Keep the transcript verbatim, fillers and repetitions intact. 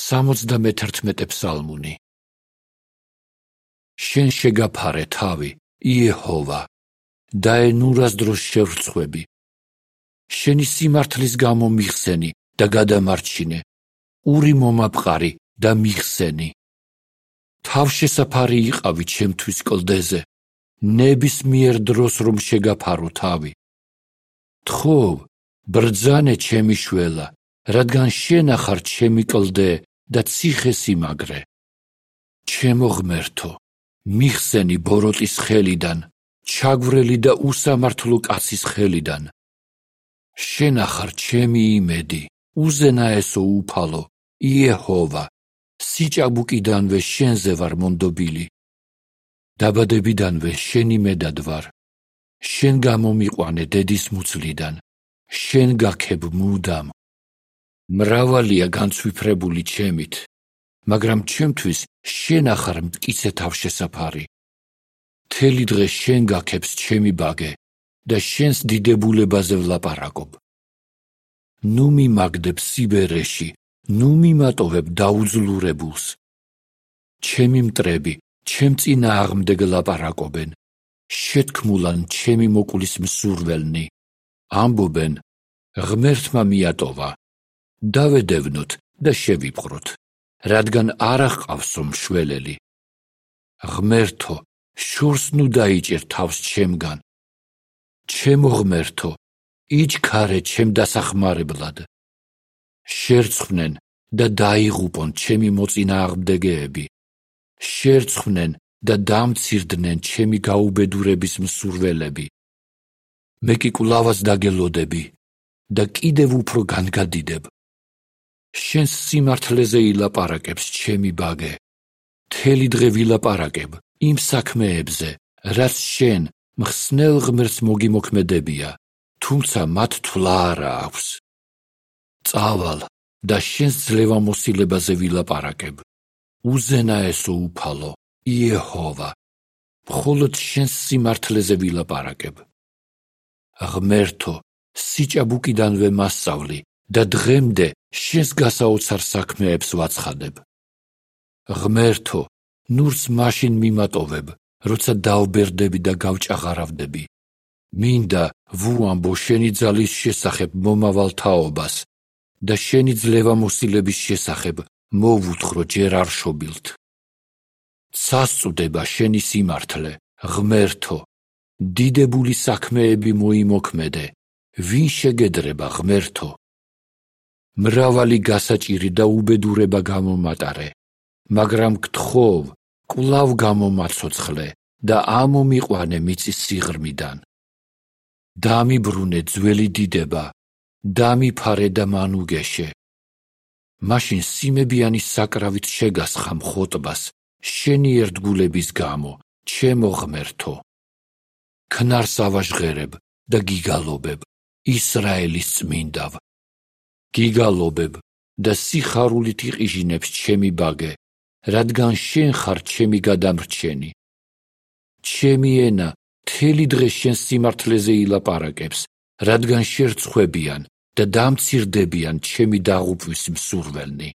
სამოცდამეთერთმეტე ფსალმუნი. შენ შეგაფარე თავი, იეჰოვა, და ენურას დროს შევრცხვები. შენი სიმართლის გამო მიხსენი და გადამარჩინე, ური მომაპყარი და მიხსენი. თავშესაფარი იყავი ჩემთვის კლდეზე, ნებისმიერ დროს რომ შეგაფარო თავი. თხოვ, ბრძანე ჩემი შველა, რადგან შენ ახარ ჩემი კლდე და ციხე სიმაგრე. ჩემო ღმერთო, მიხსენი ბოროტის ხელიდან, ჩაგვრელი და უსამართლო კაცის ხელიდან. შენ ახარ ჩემი იმედი, უზენაესო უფალო, იეჰოვა, სიჭაბუკიდანვე შენზე ვარ მონდობილი. დაბადებიდანვე შენი მედად ვარ. შენ გამომიყვანე დედის მუცლიდან, შენ გაქებ მუდამ. მრავალია განცვიფრებული ჩემით, მაგრამ ჩემთვის შენ ახარ მტკიცე თავშესაფარი. მთელი დღე შენ გაქებს ჩემი ბაგე და შენს დიდებულებაზე ვლაპარაკობ. ნუ მიმაგდებ სიბერეში, ნუ მიმატოვებ დაუძლურებულს. ჩემი მტრები ჩემ წინააღმდეგ ლაპარაკობენ, შეთქმულან ჩემი მოკვლის მსურველნი. ამბობენ, ღმერთმა მიატოვა, დავედევნოთ და შევიპყროთ, რადგან არ აჰყავსო მშველელი. ღმერთო, შორს ნუ დაიჭერ თავს ჩემგან. ჩემო ღმერთო, იჩქარე ჩემ დასახმარებლად. შერცხვნენ და დაიღუპონ ჩემი მოწინააღმდეგეები. შერცხვნენ და დამცირდნენ ჩემი გაუბედურების მსურველები. მე კი კვლავაც დაგელოდები და კიდევ უფრო განგადიდებ. შენს სიმართლეზე ილაპარაკებს ჩემი ბაგე. მთელი დღე ვილაპარაკებ იმ საქმეებზე, რაც შენ მხსნელ ღმერთს მოგიმოქმედებია, თუმცა მათ თვლა არა აქვს. წავალ და შენს ძლევამოსილებაზე ვილაპარაკებ. უზენაესო უფალო, იეჰოვა, მხოლოდ შენს სიმართლეზე ვილაპარაკებ. ღმერთო, სიჭაბუკიდანვე მასწავლი და დღემდე შენს გასაოცარ საქმეებს ვაცხადებ. ღმერთო, ნურს მაშინ მიმატოვებ, როცა დავბერდები და გავჭაღარავდები. მინდა ვუამბო შენი ძალის შესახებ მომავალ თაობას და შენი ძლევამოსილების შესახებ მოვუთხრო ჯერ არ შობილთ. სასწუდება შენი სიმართლე, ღმერთო, დიდებული საქმეები მოიმოქმედე, ვინ შეგედრება ღმერთო. მრავალი გასაჭირი და უბედურება გამომატარე, მაგრამ გთხოვ, კვლავ გამომაცოცხლე და ამომიყვანე მიწის სიღრმიდან. დამიბრუნე ძველი დიდება, დამიფარე და მანუგეშე. მაშინ სიმებიანი საკრავით შეგასხა მხოტბას, შენი ერთგულების გამო, ჩემო ღმერთო. ქნარს ავაჟღერებ და გიგალობებ, ისრაელის წმინდავ. გიგალობებ და სიხარულით იყიჟინებს ჩემი ბაგე, რადგან შენ ხარ ჩემი გადამრჩენი. ჩემი ენა მთელი დღე შენს სიმართლეზე ილაპარაკებს, რადგან შერცხვებიან და დამცირდებიან ჩემი დაღუპვის მსურველნი.